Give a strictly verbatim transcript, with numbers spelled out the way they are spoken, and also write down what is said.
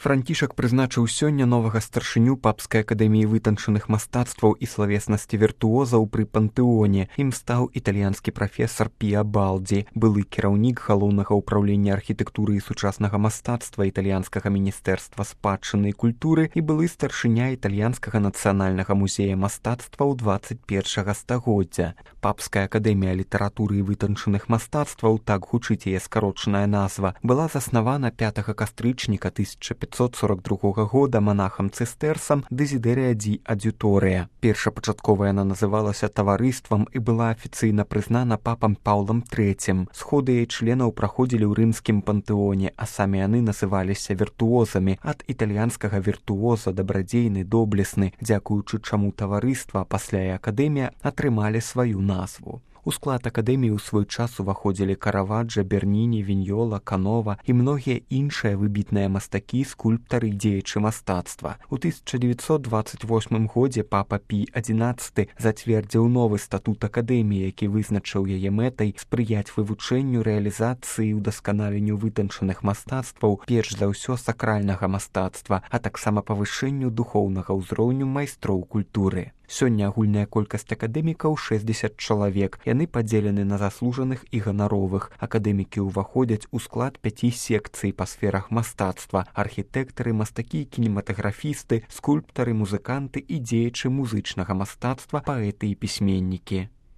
Францішак прызначыў сёння новага старшыню папскай акадэміі вытанчаных мастацтваў і славеснасці віртуозаў пры пантэоне. Ім стаў італьянскі прафесар Піа Балдзі, былы кіраўнік галоўнага ўпраўлення архітэктуры і сучаснага мастацтва італьянскага міністэрства спадчыны і культуры і былы старшыня італьянскага нацыянальнага музея мастацтваў дваццаць першага стагоддзя. Папская акадэмія літаратуры і вытанчаных мастацтваў, так гучыць яе скарочаная назва, была заснавана пятага кастрычніка тысяча пятьсот сорок другога года манахам цыстэрсам Дэзідэрыя ді Адзюторыя. Першапачаткова яна называлася таварыствам і была афіцыйна прызнана папам Паўлам трэцім. Сходы яе членаў праходзілі ў рымскім пантэоне, а самі яны называліся віртуозамі, ад італьянскага віртуоза дабрадзейны, доблесны, дзякуючы чаму таварыства, пасля і акадэмія атрымалі сваю назву. У склад акадэміі ў свой час уваходзілі Караваджа, Берніні, Віньёла, Канова і многія іншыя выбітныя мастакі, скульптары і дзеячы мастацтва. У тысяча дзевяцьсот дваццаць восьмым годзе папа Пій адзінаццаты зацвердзіў новы статут акадэміі, які вызначыў яе мэтай спрыяць вывучэнню, рэалізацыі і ўдасканаленню вытанчаных мастацтваў, перш за ўсё сакральнага мастацтва, а таксама павышэнню духоўнага ўзроўню майстроў культуры. Сёння агульная колькасць акадэмікаў шэсцьдзесят чалавек. Яны падзелены на заслужаных і ганаровых. Акадэмікі ўваходзяць у склад пяці секцый па сферах мастацтва: архітэктары, мастакі, кінематаграфісты, скульптары, музыканты і дзеячы музычнага мастацтва, паэты і пісьменнікі.